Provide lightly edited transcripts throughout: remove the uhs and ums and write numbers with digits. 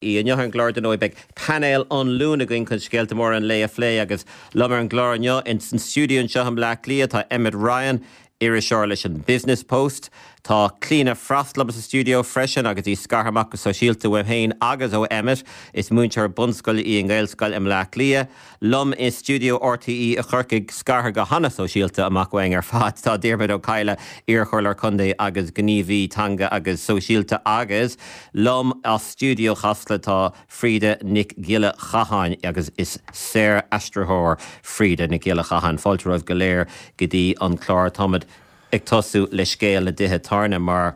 Inniu ar an gclár dar ndóigh beidh painéal an Luain againn chun scéalta móra an lae a phlé agus liom ar an gclár inniu in san stiúideo anseo i mBleá Cliath tá Emmet Ryan, iriseoir leis an Business Post. Tá Clíona Frost liom sa stiúideo freisin agus í scartha amach go sóisialta uaim féin agus ó Emmet. Is múinteoir bunscoile í i nGaelscoil i mBleá Cliath. Liom i stiúideo RTÉ i gCorcaigh, scartha go hana-sóisialta amach uainn ar fad, tá Diarmuid Ó Cadhla, iarchomhairleoir contae agus gníomhaí teanga agus sóisialta agus liom as stiúideo Chasla tá Frida Nic Giolla Chatháin agus is saor-aistritheoir Frida Nic Giolla Chatháin. Fáilte romhaibh go léir go dtí an clár. Táimid ag tosú le scéal na dtithe tábhairne mar.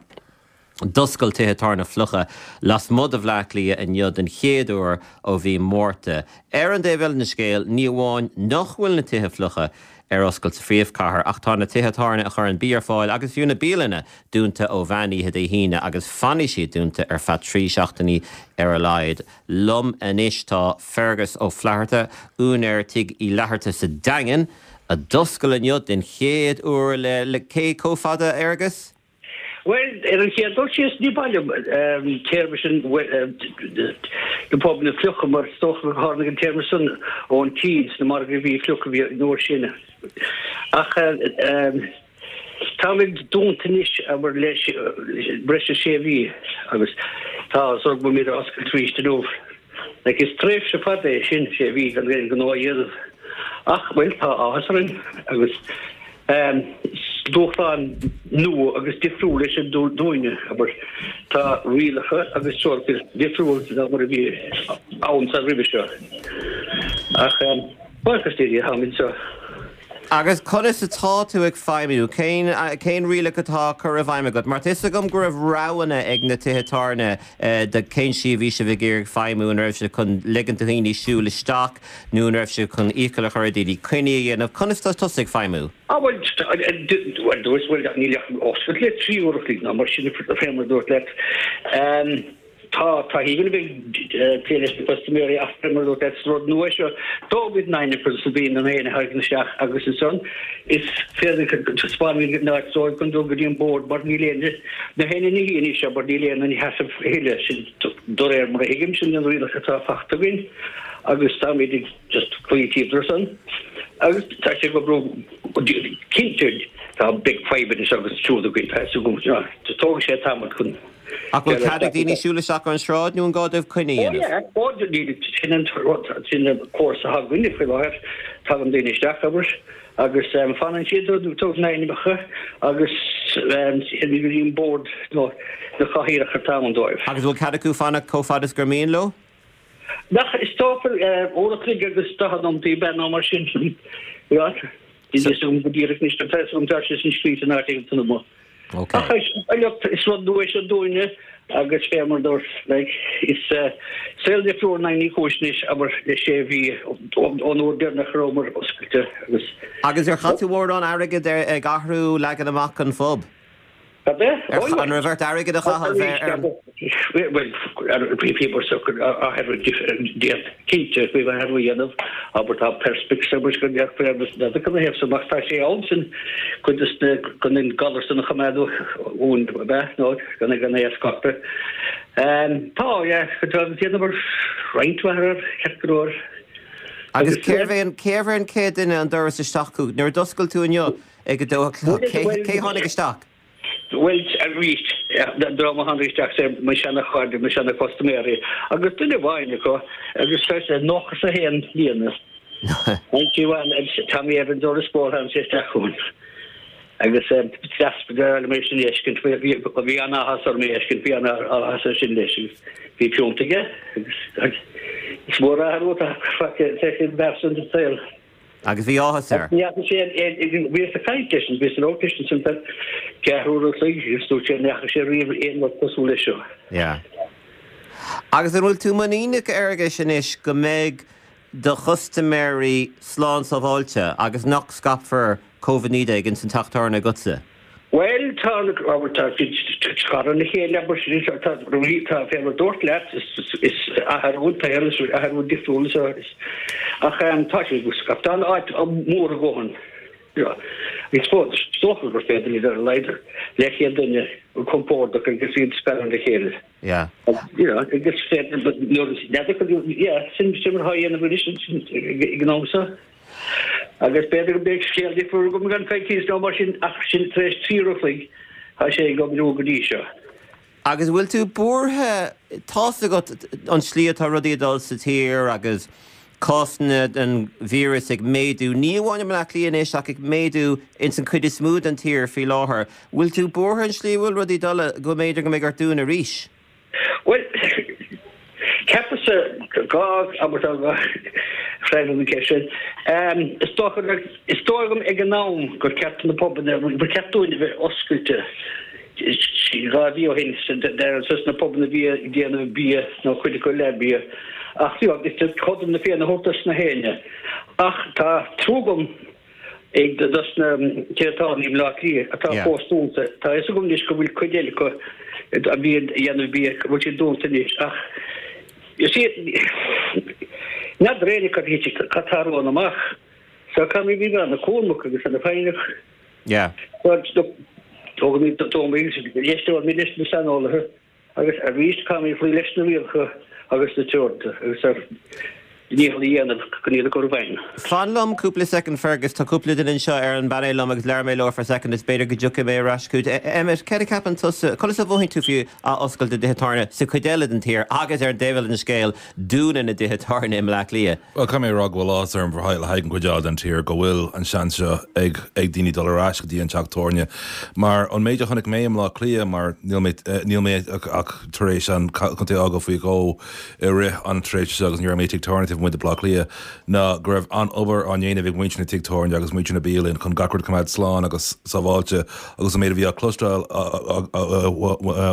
D'oscail tithe tábhairne fliucha lasmuigh de Bhleá Cliath inniu den chéad uair ó mhí Márta. Ar an dtaobh eile den scéal, ní amháin nach bhfuil na tithe fliucha ar oscailt sa phríomhchathair ach tá na tithe tábhairne a chuireann bia ar fáil agus fiú na bialanna dúnta ó mheán oíche Dé hAoine agus fanfaidh siad dúnta ar feadh 3 seachtainí ar a laghad. Liom anois tá Fergus Ó Flatharta, úinéir Tigh Uí Fhlatharta sa Daingean, a d'oscail inniu den chéad uair le cé chomh fada, a Fhergus? Bhuel, ar an chéad dul síos, ní maith liom an téarma sin, na pubanna fliucha, mar is dócha gur tháinig an téarma san ón tSín, sna margaí a bhí fliuch a bhí an uair sin. Ach táimid dúnta anois, abair, le breis is sé mhí agus tá áthas orainn go bhfuilimid ag oscailt arís inniu. Like, is tréimhse fada é sin, sé mhí gan aon ghnó a dhéanamh. Ach, bhuel, tá áthas orainn agus is dúshlán nua agus difriúil é sin dúinne, abair. Tá rialacha agus treoracha difriúil ná mar a bhí ann sa roimhe seo. Ach, buíochas le Dia, táimid anseo. Agus conas atá tú ag feidhmiú? Cén, cén rialacha atá á cur i bhfeidhm agat? Mar tá 'fhios agam go raibh roghanna ag na tithe tábhairne de cén slí a bhí sibh ag iarraidh feidhmiú, an raibh sibh chun ligint do dhaoine siúl isteach nó an raibh sibh chun iachall a chur ar dhaoine coinní a dhéanamh? Conas atá tusa ag feidhmiú? Ah bhuel, bhuel, dúirt, bhuel, níl ach oscailt le 3 uair a chloig ná mar sin fé mar a dúirt leat. Tá, tá a bheith ag plé leis na custaiméirí ach fé mar a dúirt leat, is rud nua é seo. Tógfaimid an aithne agus na daoine an éin a thagann isteach agus ansan is féidir taispeánfaimid an áit dóibh chun dul go dtí an bord mar níl aon, na héinne ina shuí anois mar níl aon ina sheasamh a thuilleadh, sin de réir mar a thuigim, sin an rialach atá fachta againn agus táimid ag just cloí timpeall air san agus tá sé ag oibriú cinnte tá beidh fadhbanna anseo agus ansiúd againn, tá fhios agam, tógfaidh sé tamall chun. Ach bhfuil cead ag daoine siúl isteach ar an sráid nó an gá dóibh coinne a dhéanamh? Ó yeah, ó níl, sin an rud, sin an córas atá againne faoi láthair, tagann daoine isteach, abair, agus fanann siad, tugann ainmneacha agus téann go dtí an bord nó na cathaoireacha atá ann dóibh. Agus bhfuil cead acu fanacht chomh fada is gur mian leo? Nach, is dócha, uair a chloig agus 40 nóiméad ab ea nó mar sin, yeah. Níl fhios agam go díreach anois, tá fhios agam tá sé sin scríte in áit éigin san amuigh. Ok. Ach look, is rud nua é seo dúinne agus fé mar dúirt, like, is saol difriúil i nDaingean Uí Chúis anois, abair, le sé mhí ón uair deireanach a rabhamar oscailte agus. Agus ar chaith tú mórán airgid ag athrú leagan amach an phub? Cad é? An raibh ort airgead a chaitheamh ar an. Bhuel, bhíomar socair athrú cinnte faoi athrú a dhéanamh, abair tá perspex abair go mbeadh féar na ina thaobh san ach tá sé ann sin cuid de na chun an galar san a choimeád uainn ab ea nó gan gan é a scaipeadh. Tá, yeah, tá déanamar roinnt mhaith air ceart go leor. Agus cérbh é an cérbh é an chéad duine an doras isteach chugat nuair a d'oscail tú inniu? Ag a dó a chlog. Cé tháinig isteach? Bhuel, arís, an dream a tháinig isteach, sé mo sheana-chairde, mo sheana-chustaiméirí, agus duine amháin acu, agus tá sé 91 bliana, 91, agus Tommy Evans ó Lios Póil, tháinig sé isteach chugainn. Agus deas go deas liom é sin a fheiscint, bhí an-áthas orm é a fheiscint, bhí an-áthas air sin leis, agus bhí piúnt aige, agus is mór athrú atá faighte ag an bhfear san sa saol. Agus bhí áthas air. Ní fhaca sé aon, bhíos ag caint leis, bhíos ag labhairt leis ansin feadh ceathrú uair an chloig agus dúirt sé nach bhfaca sé riamh aon rud cosúil leis seo. Yeah. Agus an bhfuil tú muiníneach, a Fhearghuis, anois go mbeidh do chustaiméirí slán sábháilte agus nach scaipfear Covid-19 ins an teach tábhairne agatsa? Bhuel, tá, abair, tá siad scartha óna chéile, abair, tá, tá, fé mar a dúrt leat, is athrú an tsaoil, is athrú difriúil is, ach tá siad, tá an áit mór a dhóthain. Is dócha gur féidir iad ar a laghad leathchéad duine compordach agus iad scartha óna chéile. Yeah. You know, agus féidir nuair n'fheadar yeah, sin sin mar atá á dhéanamh anois ag an am seo. Agus b'fhéidir go mbeidh scéal difriúil agam i gceann coicíos nó mar sin ach sin tar éis 3 uair a chloig tá sé ag oibriú go dtí seo. Agus bhfuil tú buartha, tá's agat an tslí atá rudaí ag dul sa tír agus cásanna den víreas ag méadú, ní amháin i mBleá Cliath anois ach ag méadú ins an chuid is mó den tír faoi láthair. Bhfuil tú buartha an tslí a bhfuil rudaí ag dul go mb'fhéidir go mbeidh ort dúnadh arís? Bhuel, ceapaimse dhá abairt a freagra an cheist sin. Is dócha, is dóigh liom ag an am gur ceart na pubanna, gur ceart dúinn a bheith oscailte. 2 mhí ó shin, dos na pubanna a bhí ag déanamh bia nó cuid acu le bia. Ach you know, is cothrom na Féinne a thabhairt dos na héinne. Ach tá trua agam ag dos na tithe tábhairne i mBleá Cliath atá fós dúnta. Tá a fhios agam anois go bhfuil cuid eile acu a bhí ag déanamh bia, go bhfuil siad dúnta anois. Ach you see, n'fheadar éinne cad cad tarlóidh amach. So caithfimid bheith ana-chúramach agus ana-fhoighneach. Yeah. Tógfaimid éisteoimid leis na saineolaithe agus arís caithfimid cloí leis na rialacha agus na treoracha agus ár ndícheall a dhéanamh chun iad a chur i bhfeidhm. Fan liom cúpla soicind Fergus, tá cúpla duine anseo ar an bpainéal liom agus labhróidh mé leo for second is b'fhéidir go dtiocfaidh mé ar ais chugat. Emmet, céard a cheapann tusa, conas a mhothaíonn tú faoi athoscailt na dtithe tábhairne sa chuid eile den tír agus ar an dtaobh eile den scéal, dúnadh na dtithe tábhairne i mBleá Cliath? Bhuel, caithfidh mé a rá go bhfuil áthas orm le haghaidh an chuid eile den tír go bhfuil an seans seo ag ag daoine dul ar ais go dtí an teach tábhairne. Mar an méid a chonaic mé i mBleá Cliath, mar níl mé níl mé ach tar éis an contae a fhágáil faoi dhó i rith an tréimhse seo agus ní raibh mé i tigh tábhairne taobh amuigh de Bhleá Cliath, ná go raibh an-obair á ndéanamh ag muintir na tigh tábhairne agus muintir na bialann chun gach rud a choimeád slán agus sábháilte agus an méid a bhí á cloisteáil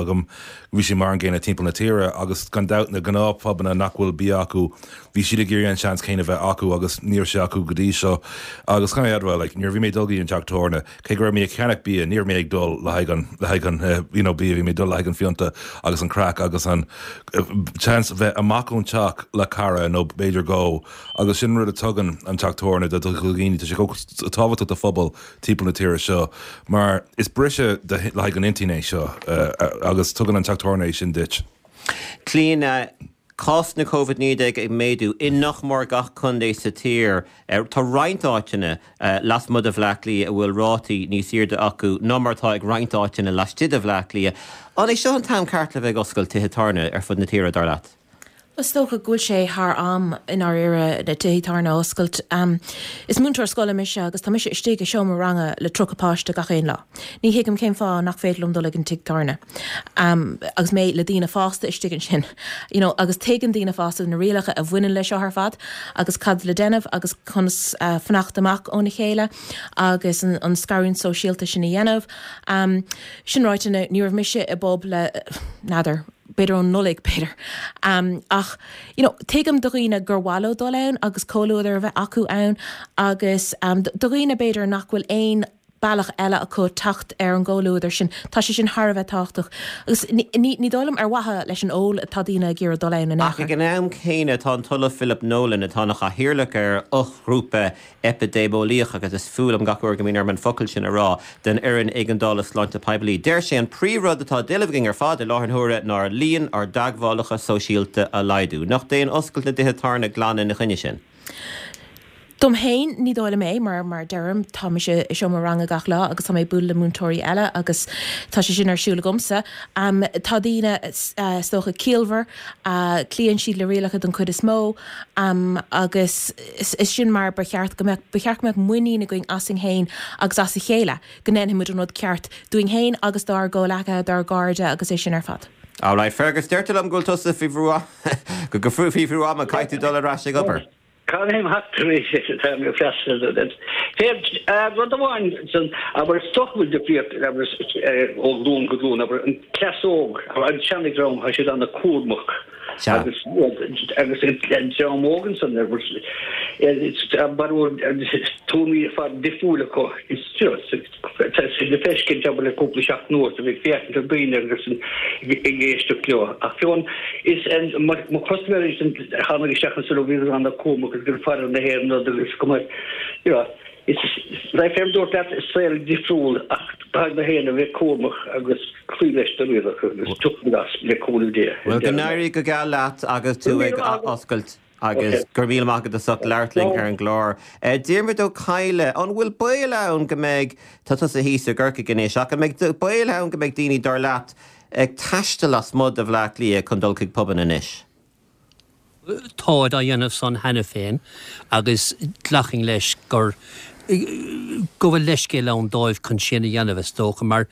agam Bhí sé mar an gcéanna timpeall na tíre agus gan dabht na gnáthphubanna nach bhfuil bia acu, bhí siad ag iarraidh an seans céanna bheith acu agus ní raibh sé acu go dtí seo. Agus caithfidh mé a admháil, like, nuair a bhí mé ag dul go dtí an teach tábhairne, cé go raibh mé ag ceannach bia, ní raibh mé ag dul le haghaidh an, le haghaidh an, you know, bia, bhí mé ag dul le haghaidh an phionta agus an craic agus an seans bheith amach ón teach le cara nó b'fhéidir dhó agus sin an rud a tugann an teach tábhairne do dhaoine, tá sé chomh tábhachtach do phobal timpeall na tíre seo mar is briseadh le haghaidh an intinn é seo agus tugann an teach tábhairne é sin duit. Clíona, Cásanna Covid-19 ag méadú i nach mór gach contae sa tír. Tá roinnt áiteanna lasmuigh de Bhleá Cliath a bhfuil rátaí níos airde acu ná mar atá ag roinnt áiteanna laistigh de Bhleá Cliath. An é seo an t-am ceart le bheith ag oscailt tithe tábhairne ar fud na tíre, dar leat? Is dócha go bhfuil sé thar am i ndáiríre na tithe tábhairne a oscailt. Is múinteoir scoile mise agus tá mise istigh i seomra ranga le 30 páiste gach aon lá. Ní thuigim cén fáth nach féidir liom dul ag an tigh tábhairne agus mé le daoine fásta istigh ansin. You know, agus tuigeann daoine fásta na rialacha a bhaineann leis seo ar fad agus cad le déanamh agus conas fanacht amach óna chéile agus an scarúint sóisialta sin a dhéanamh. Sin ráite, ní raibh mise i bpub le, n'fheadar, b'fhéidir ón Nollaig, b'fhéidir. Ach, you know, tuigim do dhaoine gur mhaith leo dul ann agus comhluadar a bheith acu ann agus do dhaoine b'fhéidir nach bhfuil aon bealach eile acu teacht ar an gcomhluadar sin, tá sé sin thar a bheith tábhachtach. Agus ní, ní dóigh liom ar mhaithe leis an ól atá daoine ag iarraidh dul ann in aon Ach chor. ag an am céanna tá an tOllamh Philip Nolan, atá ina chathaoirleach ar fhoghrúpa eipidéimeolaíoch, agus is fuath liom gach uair go mbíonn orm an focal sin a rá, den Fhoireann Éigeandála Sláinte Poiblí. Deir sé an príomhrud atá d'éileamh againn ar fad i láthair na huaire ná líon ár dteagmhálacha sóisialta a laghdú. Nach dtéann oscailt na dtithe tábhairne glan ina choinne sin? Dom féin, ní dóigh liom é, mar, mar a deirim, tá mise i seomra ranga gach lá agus tá mé ag bualadh le múinteoirí eile agus tá sé sin ar siúl agamsa. Tá daoine, is dócha, ciallmhar, cloíonn siad le rialacha den chuid is mó agus, Is sin mar ba cheart go mbeadh, ba cheart go mbeadh muinín againn asainn féin agus as a chéile go ndéanfaidh muid an rud ceart dúinn féin agus dár gcomhleacaithe, dár gcairde agus é sin ar fad. Alright, Fergus, deirtear liom go bhfuil tusa faoi bhrú go go faoi bhrú ama, caithfidh tú dul ar ais ag obair. Caithfidh mé theacht tar éis tá mé ag freastal ar Féach, rud amháin san, abair, is dócha go bhfuil difríocht, abair, ó ghlúin go glúin, abair, an cleas óg, an seana-dhream, tá siad ana-chúramach. Agus agus an dream óg ansan barúil tuairimí ar fad difriúil acu. Tá sé le feiscint abair le cúpla seachtain anuas a bheith ag féachaint ar daoine agus ag éisteacht leo. Ach fiú is mo chustaiméirí a tháinig isteach ansan ó bhíodar ana-chúramach agus ag faire na haon rud agus go mbeadh you know. Is like fé mar dúrt leat, is saol difriúil ach caithfidh gach éinne a bheith cúramach agus cloí leis na rialacha agus tiocfaimid as le cúnamh Dé. Bhuel, go n-éirí go geal leat agus tú ag oscailt agus go raibh míle maith agat as ucht labhairt linn ar an gclár. Diarmuid Ó Cadhla, an bhfuil baol ann go mbeidh, tá tusa thíos i gCorcaigh anois, ach an mbeidh baol ann go mbeidh daoine, dar leat, ag taisteal lasmuigh de Bhleá Cliath chun dul chuig pubanna anois? Táid á dhéanamh san cheana féin agus glacfainn leis gur go bhfuil leithscéal ann dóibh chun sin a dhéanamh, is dócha, mar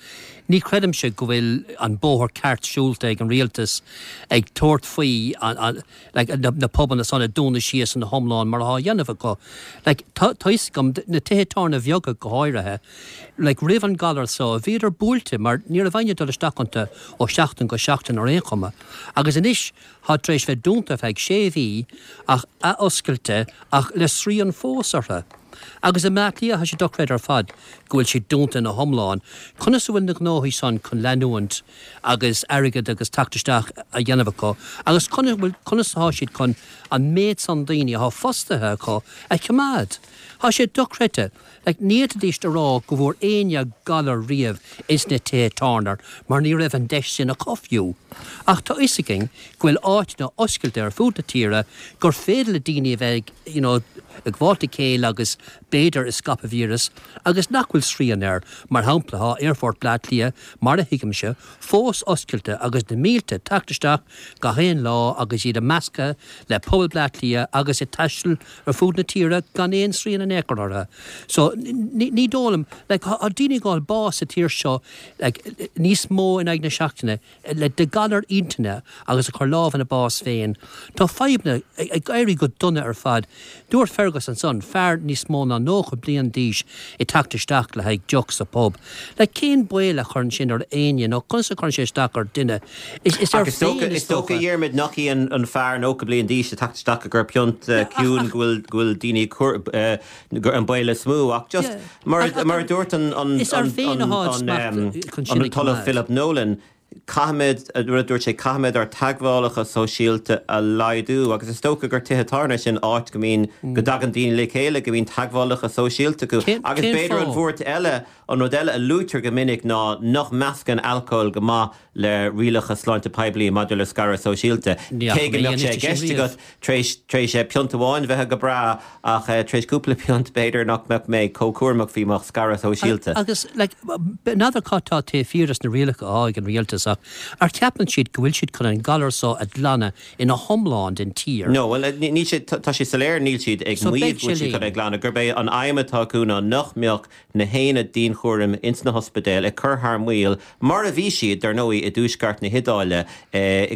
ní chreidimse go bhfuil an bóthar ceart siúlta ag an rialtas ag tabhairt faoi like na pubanna san a dúnadh síos ina hiomlán mar atá á dhéanamh acu. Like tá tá fhios agam, na tithe tábhairne bheaga go háirithe, like roimh an galar so bhíodar buailte mar ní raibh éinne ag dul isteach iontu ó sheachtain go seachtain ar aon chuma agus anois Tá tar éis bheith dúnta ar feadh sé mhí ach athoscailte ach le srian fós orthu. Agus i mBleá Cliath tá sé dochreidte ar fad go bhfuil siad dúnta ina hiomlán. Conas a bhfuil na gnóthaí san chun leanúint agus airgead agus teacht isteach a dhéanamh acu agus conas atá siad chun an méid san daoine atá fostaithe acu a choimeád? Tá sé dochreidte. Like, ní fhéadfaidíst a rá go bhfuair éinne galar riamh ins na tithe tábhairne mar ní raibh an deis sin acu fiú. Ach tá fhios againn go bhfuil áiteanna oscailte ar fud na tíre gur féidir le daoine a bheith ag, you know, ag gabháilt le chéile agus b'fhéidir ag scaipeadh víreas agus nach bhfuil srian air. Mar shampla, tá Aerfort Bleá Cliath, mar a thuigimse, fós oscailte agus na mílte ag teacht isteach gach aon lá agus iad ag meascadh le pobal Bleá Cliath agus ag taisteal ar fud na tíre gan aon srian in aon chor orthu. So, ní dóigh liom, like, tá daoine ag fháil bás sa tír seo, like, níos mó in aghaidh na seachtaine le de galar intinne agus ag cur lámh ina bás féin. Tá fadhbanna ag éirí go dona ar fad. Dúirt Fergus ansan, fear níos mó ná 90 bliain d'aois ag teacht isteach le haghaidh deoch sa pub. Like, cén baol a chuireann sin ar éinne nó conas a chuireann sé isteach ar duine? Is air féin is dócha. Is dócha, a Dhiarmuid, nach í an fear 90 bliain d'aois ag teacht isteach ag cur piont ciúin go bhfuil go bhfuil daoine ag cur an baol is mó ach just mar mar a dúirt an an an an tOllamh Philip Nolan, caithfimid, rud a dúirt sé, caithfimid ár teagmhálacha sóisialta a laghdú agus is dócha gur tithe tábhairne sin áit go mbíonn, go dtagann daoine le chéile, go mbíonn teagmhálacha sóisialta acu agus b'fhéidir an bhuairt eile, an rud eile a luaitear go minic ná nach meascann alcól go maith le rialacha sláinte poiblí maidir le scaradh sóisialta. Cé go mbeadh sé i gceist agat tar éis, tar éis piont amháin bheith go breá ach tar éis cúpla piont b'fhéidir nach mbeadh mé chomh cúramach faoi mo scaradh sóisialta. Agus, like, n'fheadar cad tá taobh thiar des na rialacha atá ag an rialtas ach ar cheapann siad go bhfuil siad chun an galar so a ghlanadh ina hiomlán den tír? No, bhuel, níl sé, tá sé soiléir níl siad ag maíomh go bhfuil siad chun é a ghlanadh, gurb é an aidhm atá acu ná nach mbeadh na haonaid dianchúraim ins na hospidéil ag cur thar maoil, mar a bhí siad, dar ndóigh, i dtuaisceart na hIodáile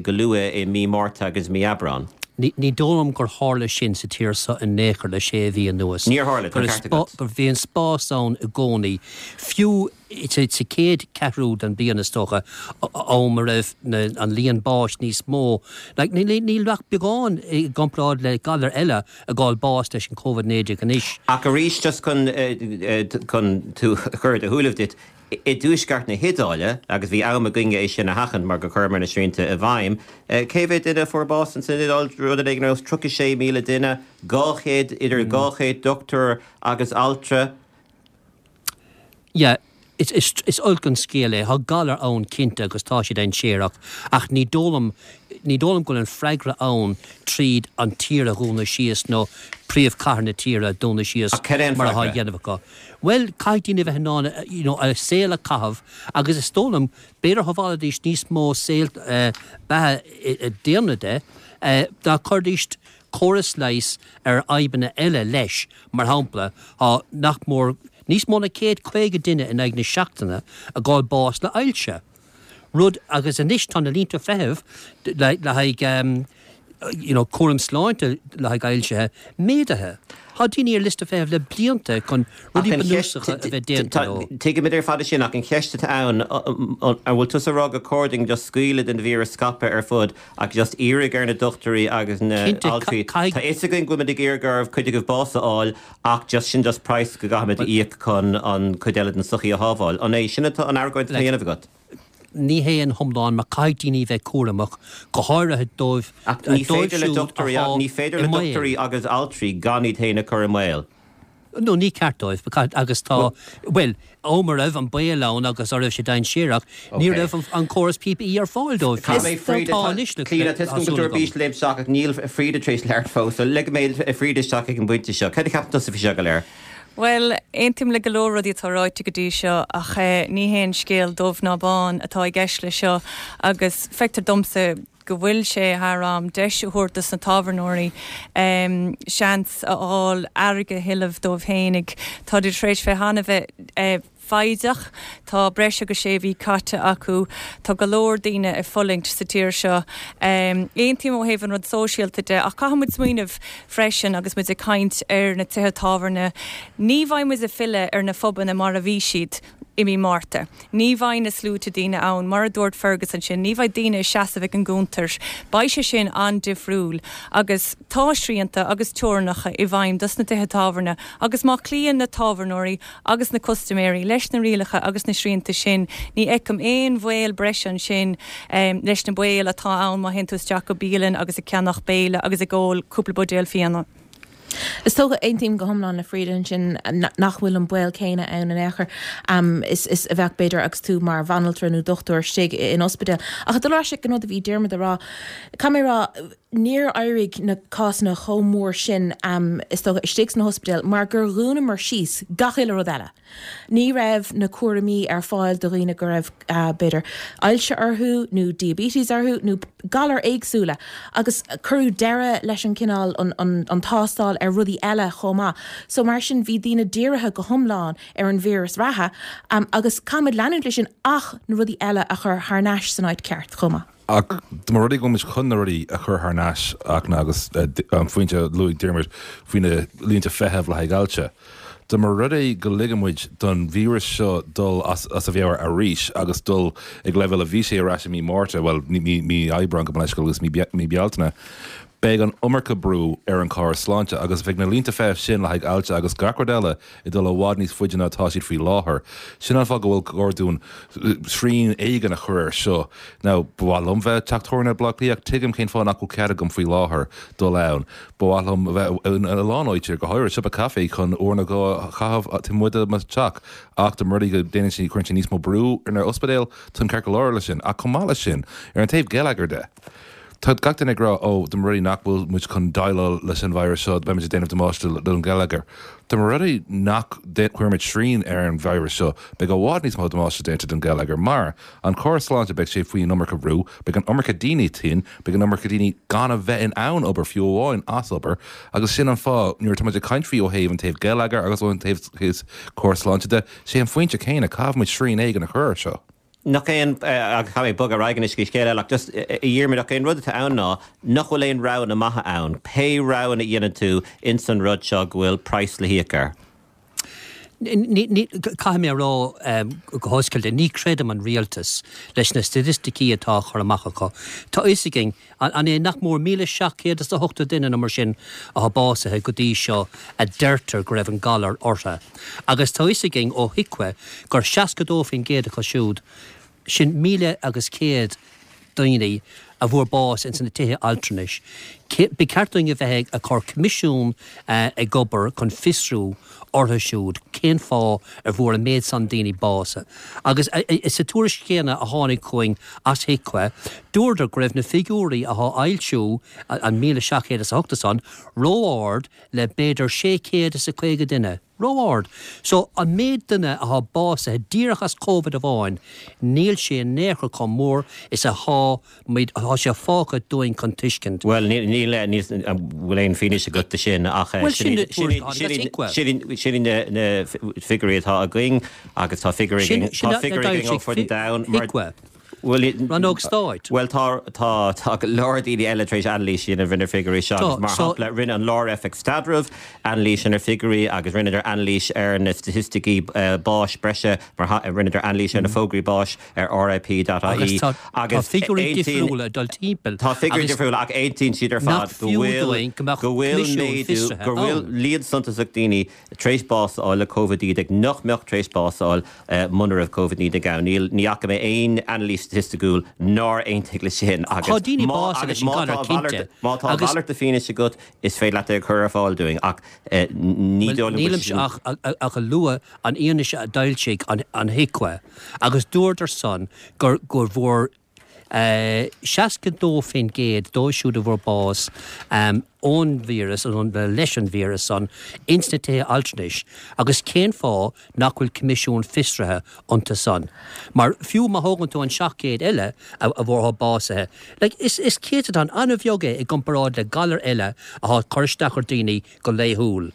go luath i mí Márta agus mí Aibreán. Ní dóigh liom gur tharla sin sa tír seo in aon chor le sé mhí anuas. Níor tharla, tá an ceart agat. Gur bhí an spás ann i gcónaí, fiú sa chéad cheathrú den bhliain is dócha, am a raibh an líon báis níos mó. Níl ach beagán i gcomparáid le galair eile ag fháil bás leis an Covid-19 anois. Ach arís, just chun chun tú a chur ar do shúilibh duit, i dtuaisceart na hIodáile, agus bhí am againne é sin a sheachaint mar gur chuireamar na srianta i bhfeidhm, cé mhéad duine a fuair bás ins an Iodáil? Rud éigin ar nós 36,000 duine, 200, idir 200 dochtúir agus altra. Yeah, is olc an scéal é. Tá galar ann cinnte agus tá sé dainséarach ach ní dóigh liom, ní dóigh liom go bhfuil an freagra ann tríd an tír a dhúnadh síos nó príomhchathair na tíre a dhúnadh síos Ach cad é an mar atá á freagra? dhéanamh acu. Bhuel, caithfidh daoine a bheith in ann you know a saol a chaitheamh agus is dóigh liom b'fhéidir shábhálfaidís níos mó saol beatha daonna de dá gcuirfidís córas leighis ar fhadhbanna eile leis, mar shampla, tá nach mór níos mó ná 150 duine in aghaidh na seachtaine ag fháil bás le ailse. Rud, agus anois tá na línte feithimh le haghaidh you know cúram sláinte le haghaidh ailsithe méadaithe. Tá daoine ar liosta feithimh le blianta chun rudaí bunúsacha a bheith déanta leo. Tuigimid ar fad é sin ach an cheist atá ann, an bhfuil tusa ag rá gur cóir dúinn just scaoileadh den víreas scaipeadh ar fud ach just iarraidh ar na dochtúirí agus na altraí, tá fhios againn go bhfuil muid ag iarraidh oraibh cuid agaibh bás a fháil ach just sin just praghas go gcaithfimid a íoc chun an cuid eile den sochaí a shábháil. An é sin atá an argóint atá á dhéanamh agat? Ní hé ina hiomlán mar caithfidh daoine bheith cúramach, go háirithe dóibh Ach ní féidir le dochtúirí, ní féidir le dochtúirí agus altraí gan iad féin a chur i mbaol. No, ní ceart dóibh, agus tá, bhuel, am a raibh an baol ann agus a raibh sé dainséarach, ní raibh an córas PPE ar fáil dóibh. Tá anois le Clíona, tá a fhios agam go bhfuil tú ar bís léim isteach ach níl Frida tar éis labhairt fós, so ligfidh mé Frida isteach ag an bpointe seo. Cad a cheapann tusa faoi seo go léir? Bhuel, aontaím le go leor rudaí atá ráite go dtí seo ach ní haon scéal dubh ná bán atá i gceist leis seo agus feictear domsa go bhfuil sé thar am deis a thabhairt dos na tábhairneoirí seans a fháil airgead a thuilleamh dóibh fhéinig. Táid tar éis bheith an-bheith foighdeach. Tá breis agus sé mhí caite acu. Tá go leor daoine ag fulaingt sa tír seo. Aontaím ó thaobh an rud sóisialta de ach caithfidh muid smaoineamh freisin agus muid ag caint ar na tithe tábhairne, ní bheidh muid ag filleadh ar na phubanna mar a bhí siad i mí Márta. Ní bheidh na sluaite daoine ann, mar a dúirt Fergus ansin, ní bheidh daoine ag seasamh ag an gcuntar. Beidh sé sin an-difriúil agus tá srianta agus teorainneacha i bhfeidhm dos na tithe tábhairne agus má chloíonn na tábhairneoirí agus na custaiméirí leis na rialacha agus na srianta sin, ní fheicim aon bhaol breise ansin leis na baol atá ann má théann tú isteach go bialann agus ag ceannach béile agus ag ól cúpla buidéal fíona. Is dócha, aontaím go hiomlán le Frida ansin, nach bhfuil an baol céanna ann in aon chor is a bheadh b'fhéidir agus tú mar bhanaltra nó dochtúir istigh in ospidéal. Ach ag dul ar ais ag an rud a bhí Diarmuid a rá, caithfidh mé a rá, Níor éirigh na cásanna chomh mór sin, is dócha, istigh sna hospidéil mar gur dhúnamar síos gach uile rud eile. Ní raibh na cúraimí ar fáil do dhaoine go raibh, b'fhéidir, ailse orthu nó diabetes orthu nó galair éagsúla agus cuireadh deireadh leis an cineál, an tástáil ar rudaí eile chomh maith. So mar sin bhí daoine dírithe go hiomlán ar an víreas reatha agus caithfimid leanúint leis sin ach na rudaí eile a chur thar n-ais san áit ceart chomh maith. Ach dá mba rud é go bhfuil muid chun na rudaí a chur thar n-ais, Fhachtna, agus an phointe a luaigh Diarmuid faoi na línte feithimh le haghaidh ailse, dá mba rud é go ligeann muid don víreas seo dul as a mheabhair arís agus dul ag leibhéal a bhí sé ar ais i mí Márta, bhuel, mí Aibreáin gabh mo leithscéal agus mí Bealtaine, beidh an iomarca brú ar an chóras sláinte agus beidh na línte feithimh sin le haghaidh ailse agus gach rud eile ag dul i bhfad níos faide ná atá siad faoi láthair. Sin an fáth go bhfuil gá dúinn srian éigin a chur air seo. Now, ba mhaith liom bheith i dteach tábhairne i Bleá Cliath ach tuigim cén fáth nach bhfuil cead agam faoi láthair dul ann. Ba mhaith liom a bheith in a lán áiteanna, go háirithe siopa caife chun uair nó dhó a chaitheamh taobh amuigh de mo theach ach dá mba rud é go déanann sé, cuireann sé níos mó brú ar na ospidéil, táim ceart go leor leis sin. Ach chomh maith leis sin, ar an taobh geilleagair de, Tá gach duine ag rá, ó, dá mba rud é nach bhfuil muid chun déileáil leis an víreas seo, beimid ag déanamh damáiste don gheilleagar. Dá mba rud é nach gcuirimid srian ar an víreas seo, beidh i bhfad níos mó damáiste déanta don gheilleagar mar, an córas sláinte, beidh sé faoi an iomarca brú, beidh an iomarca daoine tinn, beidh an iomarca daoine gan a bheith in ann obair fiú amháin as obair agus sin an fáth nuair atá muid ag caint faoi ó thaobh an taobh geilleagair agus ó an taobh córas sláinte de, sé an phointe céanna, caithfidh muid srian éigin a chur air seo. Nach é an, agus caithfidh mé bogadh ar aghaidh anois go scéal eile, ach just, a Dhiarmuid, ach é an rud atá ann ná nach bhfuil aon roghanna maithe ann. Pé roghanna a dhéanann tú ins an rud seo go bhfuil praghas le híoc air. Caithfidh mé a rá go hoscailte, ní chreidim an rialtas leis na staitisticí atá á chur amach acu. Tá fhios againn, an é nach mór 1,780 duine nó mar sin atá básaithe go dtí seo a deirtear go raibh an galar orthu. Agus tá fhios againn ó HIQA gur 62% acu siúd, sin míle agus céad daoine a fuair bás ins na tithe altranais. Ba cheart dúinn a bheith ag cur coimisiún ag obair chun fiosrú orthu siúd cén fáth ar bhfuair an méid san daoine bás. Agus sa tuairisc chéanna a tháinig chugainn as HIQA, dúradar go raibh na figiúirí athá á fhoilsiú, an 1,780 san, ró-ard le b'fhéidir 650 duine. Ró-ard. So, an méid duine athá básaithe díreach as Covid amháin, níl sé in aon chor chomh mór is athá muid, athá sé fágtha dúinn chun tuiscint. Bhuel, níl, níl, an bhfuil aon fianaise agat de sin ach Bhuel, sin na tuairisc a tháinig as HIQA. sin iad na figiúirí atá againn agus tá figiúirí againn, tá figiúirí againn ó fud an domhain mar. HIQA. Rannóg Stáit. Bhuel, tá, tá, tá go leor daoine eile tar éis anailís a dhéanamh ar na figiúirí seo agus mar shampla, rinne an Lár-Oifig Staidrimh anailís ar na figiúirí agus rinneadar anailís ar na staitisticí báis breise, mar rinneadar anailís ar na fógraí báis ar RIP.ie agus tá tá figiúirí difriúla ag dul timpeall Tá figiúirí difriúla ach aontaíonn siad ar fad go bhfuil, go bhfuil méadú, go bhfuil líon suntasach daoine tar éis bás a fháil le Covid-19 nach mbeadh tar éis bás a fháil muna raibh Covid-19 ann. Níl, ní fhaca mé aon anailís. staitistiúil nár aontaigh leis sin agus Tá daoine má básaithe leis an má tá galar, cinnte, má tá a agus mhalairt de fianaise agat is féidir leat é a chur ar fáil dúinn ach ní dóigh liom go bhfuil nílimse ach ach ag lua an fhianaise a d'fhoilsigh an an HIQA agus dúradar san gur go bhfuair 62% dóibh siúd a bhfuair bás ón víreas, nó leis an víreas san, ins na tithe altranais agus cén fáth nach bhfuil coimisiún fiosraithe iontu san? Mar fiú má thógann tú an 700 eile a bhfuair atá básaithe, like, is is céatadán an-bheag é i gcomparáid le galair eile atá ag cur isteach ar daoine go laethúil.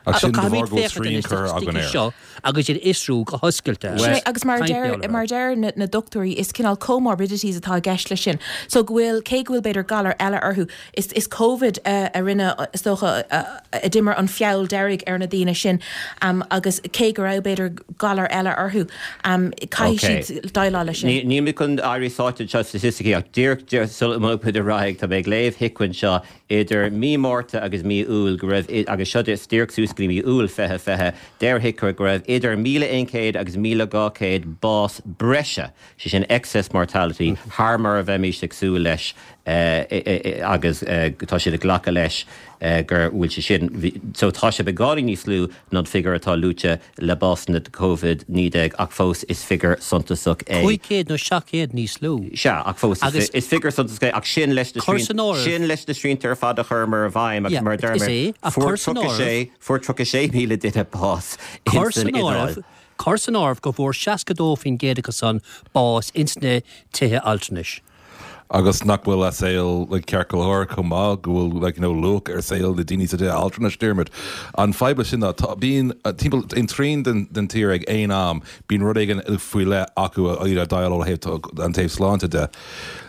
Ach sin de bharr go bhfuil srian curtha againn air. seo agus iad a fhiosrú go hoscailte. Sin é, agus mar a deir, mar a deir na dochtúirí, is cineál comorbidities atá i gceist leis sin. So go bhfuil, cé go bhfuil b'fhéidir galar eile orthu, is, is Covid a, a rinne, is dócha, a, a d'imir an feall deiridh ar na daoine sin agus cé go raibh b'fhéidir galar eile orthu, caithfidh siad déileáil leis sin. Níl mé chun éirí sáite anseo i staitisticí ach díreach, díreach sula mbogfaimid ar aghaidh, tá mé ag léamh HIQA anseo Idir mí Márta agus mí Iúil go raibh, agus seo díreach suas go dtí mí Iúil 2020, deir HIQA go raibh idir 1,100 agus 1,200 bás breise, sé sin excess mortality, thar mar a bheimís ag súil leis agus tá siad ag glacadh leis gur bhfuil sé sin, so tá sé beagáinín níos lú ná an figiúr atá luaite le básanna de Covid-19 ach fós is figiúr suntasach é. 500 nó 700 níos lú. Sea, ach fós is figiúr suntasach é ach sin leis na sin leis na srianta ar fad a chuireamar i bhfeidhm agus mar a deir mé, fuair 36 fuair 36,000 duine bás ins an Iodáil. Cuir san áireamh go bhfuair 62% acu san bás ins na tithe altranais. Agus nach bhfuil a saol like ceart go leor chomh maith, go bhfuil like you know luach ar saol na daoine sa tithe altranais, Diarmuid. An fadhb leis sin ná tá, bíonn timpeall aon trian den den tír ag aon am, bíonn rud éigin faoi leith acu a iad ag déileáil ó thaobh an taobh sláinte de.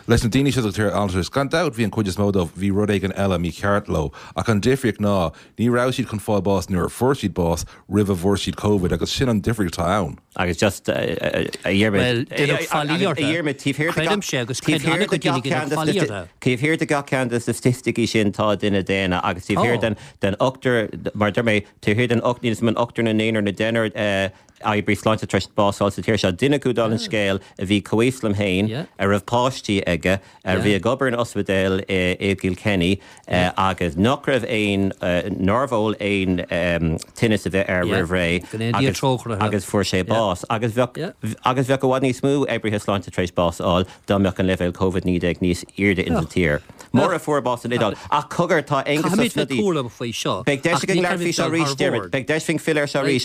Leis na daoine seo sa tithe altranais, gan dabht bhí an chuid is mó dóibh, bhí rud éigin eile mícheart leo. Ach an difríocht ná, ní raibh siad chun fáil bás nuair a fuair siad bás, roimh a bhfuair siad Covid agus sin an difríocht atá ann. Agus just a Dhiarmaid, Bhuel, déanadh faillí orthu. Creidimse agus creideann an-chuid daoine go ndéanadh faillí orthu. Taobh thiar de gach ceann de na staitisticí sin tá duine daonna agus taobh thiar den den ochtar, mar a deir mé, taobh thiar den ocht, níl 'fhios a'm an ochtar nó naonúr nó deichniúr oibrí sláinte tar éis bás a fháil sa tír seo, duine acu dála an scéil a bhí comhaois liom féin, a raibh páistí aige, a bhí ag obair in ospidéal i gKilkenny agus nach raibh aon, nárbh eol aon tinneas a bheith air roimh ré agus fuair sé bás. Agus bheadh, agus bheadh i bhfad níos mó oibrithe sláinte tar éis bás a fháil dá mbeadh an leibhéal Covid-19 níos airde insa tír. Mura fuair bás san Iodáil. Ach cogar, tá Aengus Ó Snodaigh. Beidh deis againn labhairt faoi seo arís, Diarmuid. Beidh deis againn filleadh air seo arís.